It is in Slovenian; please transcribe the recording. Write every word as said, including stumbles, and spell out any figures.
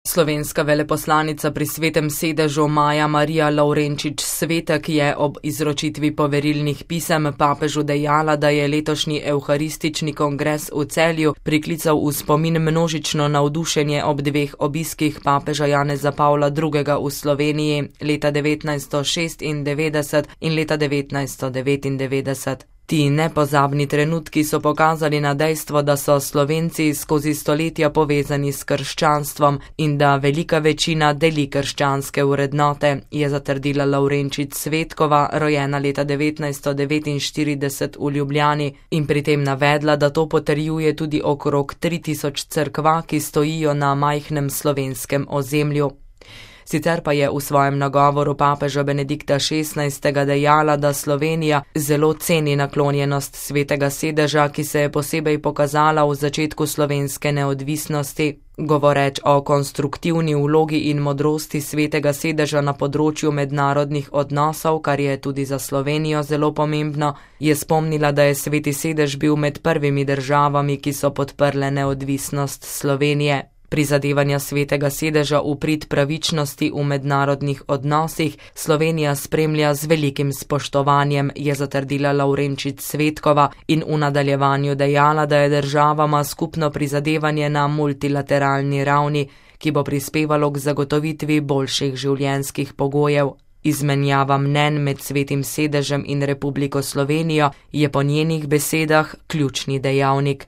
Slovenska veleposlanica pri Svetem sedežu Maja Marija Lavrenčič Svetek je ob izročitvi poverilnih pisem papežu dejala, da je letošnji evharistični kongres v Celju priklical v spomin množično navdušenje ob dveh obiskih papeža Janeza Pavla drugega. v Sloveniji leta devetnajststo šestindevetdeset in leta devetnajststo devetindevetdeset. Ti nepozabni trenutki so pokazali na dejstvo, da so Slovenci skozi stoletja povezani s krščanstvom in da velika večina deli krščanske vrednote, je zatrdila Lavrenčič Svetkova, rojena leta devetnajststo devetinštirideset v Ljubljani, in pri tem navedla, da to potrjuje tudi okrog tri tisoč cerkva, ki stojijo na majhnem slovenskem ozemlju. Sicer pa je v svojem nagovoru papeža Benedikta šestnajstega dejala, da Slovenija zelo ceni naklonjenost Svetega sedeža, ki se je posebej pokazala v začetku slovenske neodvisnosti. Govoreč o konstruktivni vlogi in modrosti Svetega sedeža na področju mednarodnih odnosov, kar je tudi za Slovenijo zelo pomembno, je spomnila, da je Sveti sedež bil med prvimi državami, ki so podprle neodvisnost Slovenije. Prizadevanja Svetega sedeža v prid pravičnosti v mednarodnih odnosih Slovenija spremlja z velikim spoštovanjem, je zatrdila Lavrenčič Svetkova in v nadaljevanju dejala, da je državama skupno prizadevanje na multilateralni ravni, ki bo prispevalo k zagotovitvi boljših življenjskih pogojev. Izmenjava mnenj med Svetim sedežem in Republiko Slovenijo je po njenih besedah ključni dejavnik.